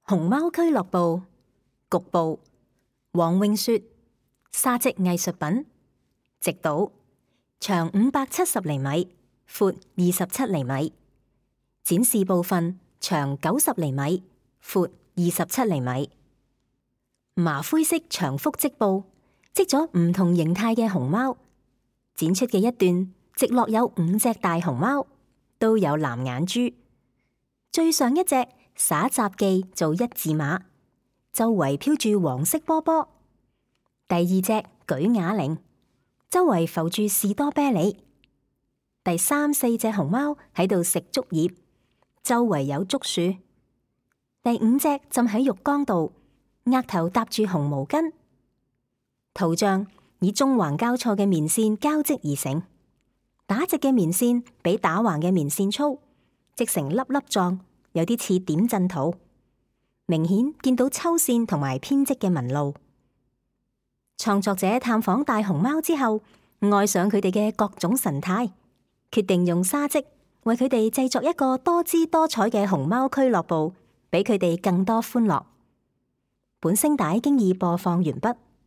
熊貓俱樂部局部，黃詠雪，沙織藝術品，直島，長570厘米，闊27厘米，展示部分長90厘米，闊27厘米。麻灰色長幅織布織咗唔同形態嘅熊貓，展出嘅一段直落有5隻大熊貓，都有藍眼珠。最上一隻耍雜技做1字馬，周圍飄住黃色波波。第二隻舉啞鈴，周圍浮住士多啤梨。第3、4隻熊貓喺度食竹葉，周圍有竹樹。第5隻浸喺浴缸度，額頭搭住紅毛巾。圖像以縱橫交錯嘅棉線交織而成，打直嘅棉線比打橫嘅棉線粗，織成粒粒狀，有啲似點陣圖。明顯見到抽線同埋編織嘅紋路。創作者探訪大熊貓之後，愛上佢哋嘅各種神態，決定用沙織為佢哋製作一個多姿多彩嘅熊貓俱樂部，俾佢哋更多歡樂。本聲帶經已播放完畢。